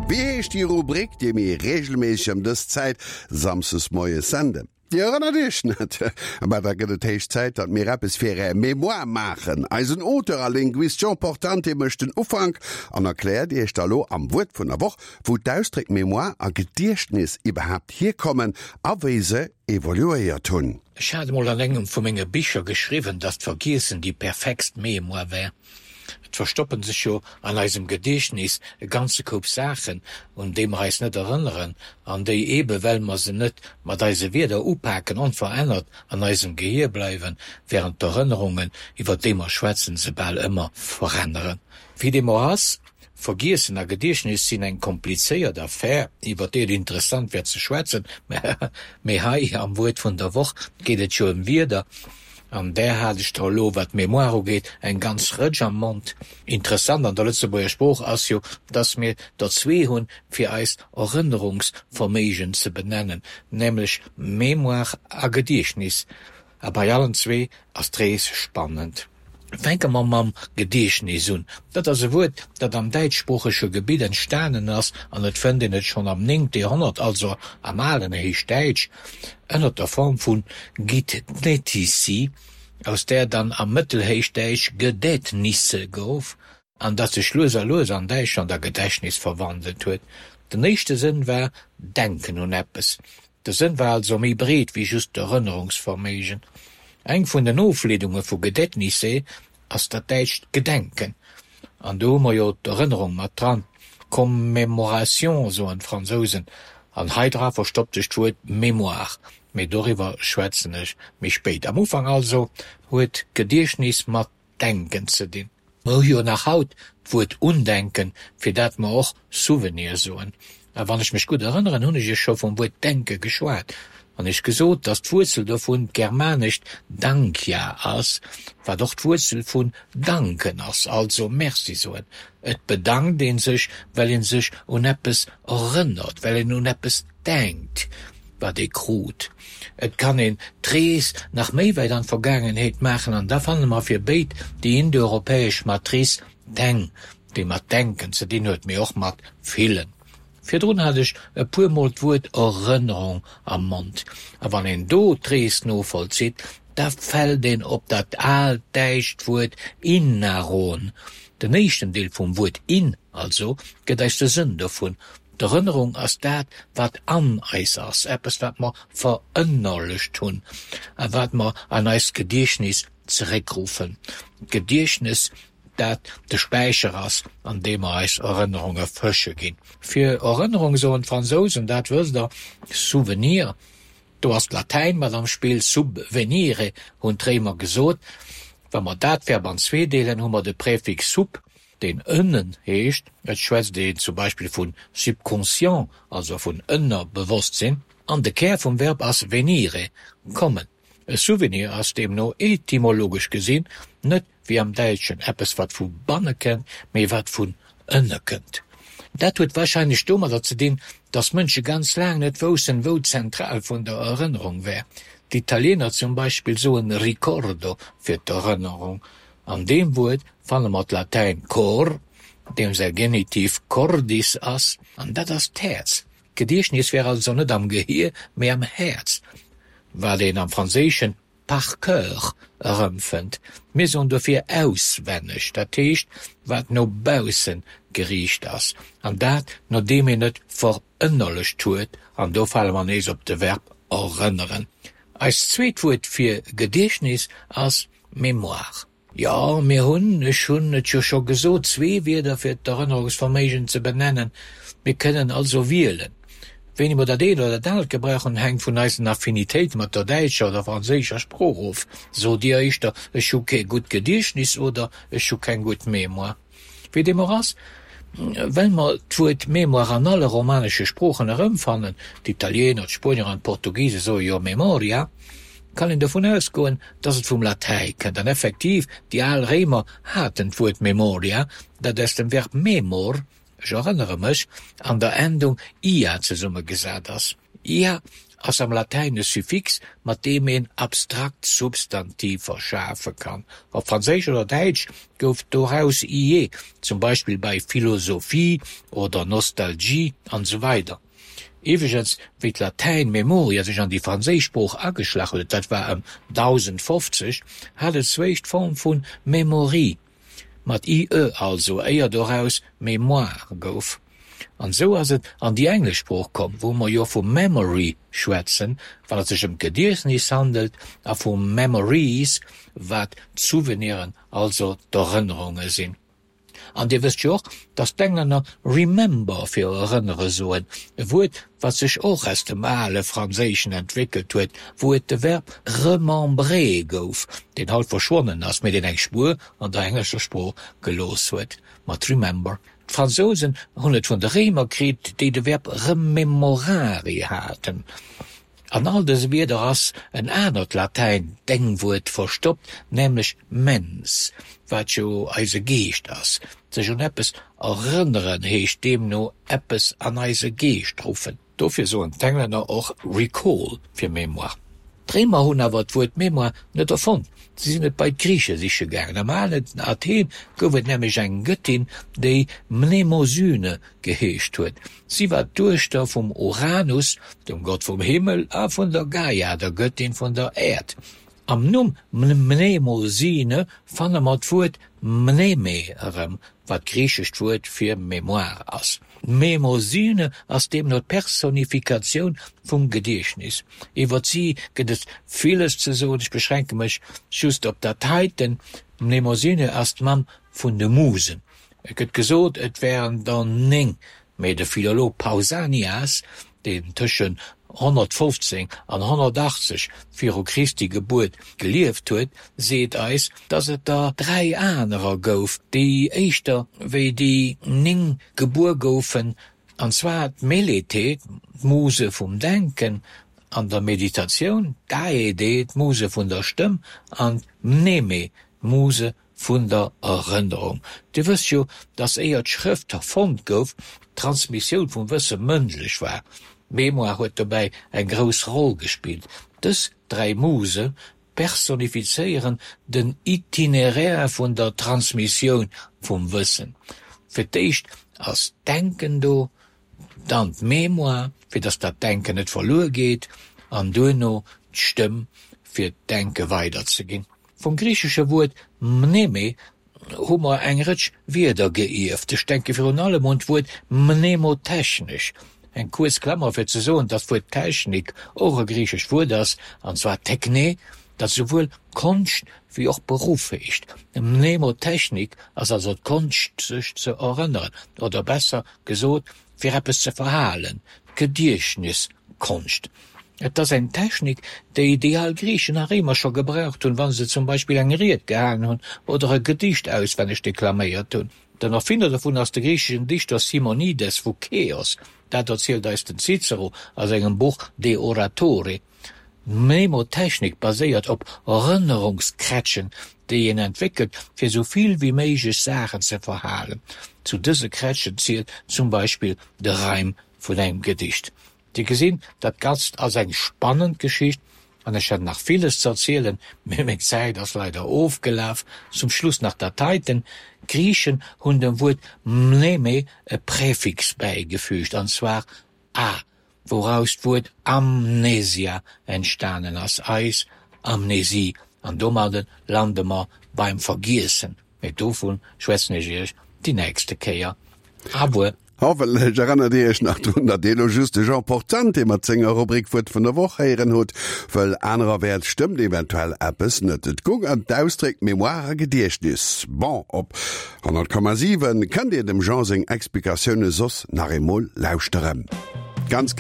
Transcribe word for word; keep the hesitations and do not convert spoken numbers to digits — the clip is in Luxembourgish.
Wéi heescht déi Rubrik, déi mir reegelméisseg ëm dës Zäit samsdes moies senden? Dir erënnert Iech net? Bah, da gëtt et héich Zäit, datt mir eppes fir Är Mémoire maachen. Eisen Auteur a Linguist Jean Portante mécht den Ufank an erkläert Iech da lo am Wuert vun der Woch, wou d'Ausdréck Mémoire a Gediechtnes iwwerhaapt hierkommen a wéi se evoluéiert hunn. Ech hat emol an engem vu menge Bicher geschriwwen, datt d'Vergiessen déi perfektst Mémoire wär. Et verstoppen sech jo an eisem Gediechtnis e ganze Koup Saachen, un déi mer eis net erënneren an déi, eebe well mer se net mat eise Wierder upaken, onverännert an eisem Gehier bleiwen, wärend d'Erënnerungen, iwwer déi mer schwätzen, se bal ëmmer veränneren. Wéi deem och ass, Vergiessen a Gediechtnis sinn eng komplizéiert Affär, iwwer déi et interessant wär ze schwätzen, mee hei am Wuert vun der Woch geet et jo ëm Wierder. An där hat ech der elo, wat d'Mémoire ugeet, eng ganz Rëtsch am Mond. Interessant an der Lëtzebuerger Sprooch ass jo, dass mir der zwee hunn, fir eist Erënnerungsverméigen ze benennen, nämlech Mémoire a Gediechtnis. A bei allen zwee ass d'Rees spannend. Fänke mer mam Gediechtnis un. Dat ass e Wuert, dat am däitschsproochege Gebitt entstanen ass an et fënnt een et schonn am néngte Joerhonnert, also am alen Héichdäitsch, ënner der Form vu gidnetisi, aus där dann am Mëttelhéichdäitsch gedätnisse gouf an dat sech lues a lues an Däitschland a Gedächtnis verwandelt huet. Den éischte Sënn war Denken un eppes. De Sënn war also méi breet wéi just d'Erënnerungsverméigen. Eng vun den Ofleedunge vu Gedätnisse ass dat däitscht Gedenken. An do hu mer jo d'Erënnerung mat dran, Commémoration soen d'Fransousen. An hei dra verstoppt sech d'Wuert Mémoire, mee doriwwer schwätzen ech méi spéit. Am Ufank also huet Gediechtnis mat Denken ze dinn. Mer hu jo nach haut d'Wuert Undenken, fir dat mer och Souvenir soen. A wann ech mech gutt erënneren, hunn ech iech scho vum Wuert denke geschwat an iech gesot, dass d'Wuerzel dovun d'germanescht dankja ass, wat och d'Wuerzel vun danken ass, also Merci soen. Et bedankt ee sech, well ee sech un eppes erënnert, well een un eppes denkt, wat ee krut. Et kann een d'Rees nach méi wäit an d'Vergaangenheet maachen an da fanne mer fir béid déi indoeuropäesch Matrice deng, déi mat denken ze dinn huet, mee och mat fillen. Virdrun hat ech e puer Mol d'Wuert Erënnerung am Mond. A wann een do d'Rees novollzitt, da fält een op dat aalt däitscht Wuert innaron. Den éischten Deel vum Wuert in also gëtt eis de Sënn dovun, D'Erënnerung ass dat, wat an eis ass, eppes, wat mer verënnerlecht hunn a wat mer an eist Gediechtnis zeréckruffen. D'Gediechtnes, dat de Späicher ass, an deem mer eis Erënnerunge fësche ginn. Fir Erënnerung soen d'Fransousen, dat wësst Der, souvenir. Do ass d'Latäin mat am Spill, sub venire hunn d'Réimer gesot. Wa mer dat Verb an zwee deelen, hu mer de Präfix sub, deen ënnen heescht. Et schwätzt een zum Beispill vu subconscient, also vun Ënnerbewosstsinn. An de Kär vum Verb ass venire, kommen. E Souvenir ass deemno etymologesch gesinn net wéi am Däitschen eppes wat vu banne kënnt, mee wat vun ënne kënnt. Dat huet warscheinlech domadder ze dinn, datt Mënsche ganz laang net woussten, wou d'Zentral vun der Erënnerung wär. D'Italiener zum Beispill soen ricordo fir d'Erënnerung. An deem Wuert fanne mer d'Latäin cor, deem säi Genitiv cordis ass, an dat ass d'Häerz. D'Gediechtnes wär also net am Gehier, mee am Häerz, wat een am Franséischen par cœur erëmfënnt. Mir soen dofir auswenneg, dat heescht, wat no bausse geriicht ass, an dat nodeem een et verënnerlecht huet, an do fale mer nees op de Verb erënneren. Eist zweet Wuert fir Gediechtnes ass mémoire. Jo, mir hunn, ech hunn et jo scho gesot, zwee Wierder fir d'Erënnerungsverméigen ze benennen. Mir kënnen also wielen. Wéini mer dat eent oder dat anert gebrauchen, hänkt vun eisen Affinitéite mat der däitscher oder franséischer Sprooch of. Sot Dir éischter, Ech hu kee gutt Gediechtnis oder Ech hu keng gutt Mémoire? Wéi deem och ass, well mer d'Wuert Mémoire an alle romanesche Sproochen erëmfannen, d'Italiener, d'Spuenier an d'Portugise soe jo memoria, kann een dovun ausgoen, dass et vum Latäi kënnt. An effektiv, déi al Réimer haten d'Wuert memoria, dat aus dem Verb memor, ech erënnere mech, an der Endung ia zesummegesat ass. Ia ass am Latäin e Suffix, mat deem een abstrakt Substantiver schafe kann. Op Franséisch oder Däitsch gouf doraus ie, zum Beispill bei Philosophie oder Nostalgie an esou weider. Iwwregens, wéi d'Latäin memoria sech an déi franséisch Sprooch ageschlach huet, dat war ëm dausendfofzeg, hat et zwéischt d'Form vu memorie, mat ie also, éier doraus mémoire gouf. An esou ass et an déi englesch Sprooch komm, wou mer jo vu memory schwätzen, wann et sech ëm d'Gediechtnis handelt, a vu memories, wat d'Souveniren, also d'Erënnerunge sinn. An Dir wësst jo och, dass d'Englänner remember fir erënnere soen, e Wuert, wat sech och aus dem ale Franséischen entwéckelt huet, wou et de Verb remembrer gouf, deen haut verschwonnen ass, mee deen eng Spuer an der englescher Sprooch gelooss huet mat remember. D'Fransousen hunn et vun de Réimer kritt, déi de Verb rememorare haten. An all dëse Wierder ass en anert Latäin-Denkwuert verstoppt, nämlech mens, wat jo eise Geescht ass. Sech un eppes erënneren heescht deemno eppes an eise Geescht ruffen. Dofir soen d'Englänner och recall fir mémoire. D'Réimer hunn awer d'Wuert mémoire net erfonnt, si sinn et bei d'Griiche siche gaangen. Am alen Athen gouf et nämlech eng Gëttin, déi Mnemosyne geheescht huet. Si war d'Duechter vum Uranus, dem Gott vum Himmel, a vun der Gaia, der Gëttin vun der Äerd. Am Numm Mnemosyne fanne mer d'Wuert mneme erëm, wat d'griichescht Wuert fir Mémoire ass. D'Mnemosyne ass deemno d'Personifikatioun vum Gediechtnis. Iwwer si gëtt et villes ze soen, ech beschränke mech just op dat heiten, D'Mnemosyne ass d'Mamm vun de Musen. Et gëtt gesot, et wären der néng, mee de Philolog Pausanias, deen tëschent honnertfofzéng an honnertachtzeg viru Christi Gebuert gelieft huet, seet eis, datt et der dräi anerer gouf, déi éischter wéi déi néng gebuer goufen, an zwar d'Melete, d'Muse vum Denken an der Meditatioun, d'Aede, d'Muse vun der Stëmm, an d'Mneme, d'Muse vun der Erënnerung. Dir wësst jo, dass éier d'Schrëft erfonnt gouf, d'Transmissioun vum Wësse mëndlech war. D'Mémoire huet dobäi eng grouss Roll gespillt. Dës dräi Muse personifizéieren den Itinéraire vun der Transmissioun vum Wëssen. Fir d'éischt ass d'Denken do, dann d'Mémoire, fir dass dat Denken net verluer geet, an duerno d'Stëmm, fir d'Denke weiderzeginn. Vum griichesche Wuert mneme hu mer eng Rëtsch Wierder geierft. Ech denke virun allem un d'Wuert mnemotechnesch. Eng kuerz Klammer fir ze soen, datt d'Wuert Technik och e griichescht Wuert ass, an zwar techne, dat souwuel Konscht wéi och Beruff heescht. Mnemotechnik ass also d'Konscht sech ze erënneren, oder besser gesot, fir eppes ze verhalen, d'Gediechtniskonscht. Et ass eng Technik, déi déi al Griichen a Réimer scho gebraucht hunn, wa se zum Beispill eng Ried gehalen hunn oder e Gedicht auswenneg deklaméiert hunn. Den Erfinner dovun ass de griicheschen Dichter Simonides vu Keos. Dat erzielt eis den Cicero a sengem Buch De Oratore. D'Mnemotechnik baséiert op Erënnerungskrätschen, déi een entwéckelt, fir sou vill wéi méiglech Saachen ze verhalen. Zu dëse Krätschen zielt zum Beispill de Reim vun engem Gedicht. Dir gesinn, dat Ganzt ass eng spannend Geschicht an ech hätt nach villes ze erzielen, mee meng Zäit ass leider ofgelaf. Zum Schluss nach dat heiten, D'Griichen hunn dem Wuert mneme e Präfix bäigefügt, an zwar a, wouraus d'Wuert Amnesia entstanen ass, eis Amnesie, an domadde lande mer beim Vergiessen. Mee dovun schwätzen ech iech déi nächste Kéier. Abuer. Hoffentlech erënnert Dir Iech nach drun, datt Dir elo just de Jean Portante mat senger Rubrik Wuert vun der Woch héieren hutt, wëll anererwäerts stëmmt eventuell eppes net. Et goung ëm d'Ausdréck Mémoire a Gediechtnis. Bon, op honnert Komma siwen kënnt Dir dem Jean seng Explikatioune soss nach eemol lauschteren. Ganz.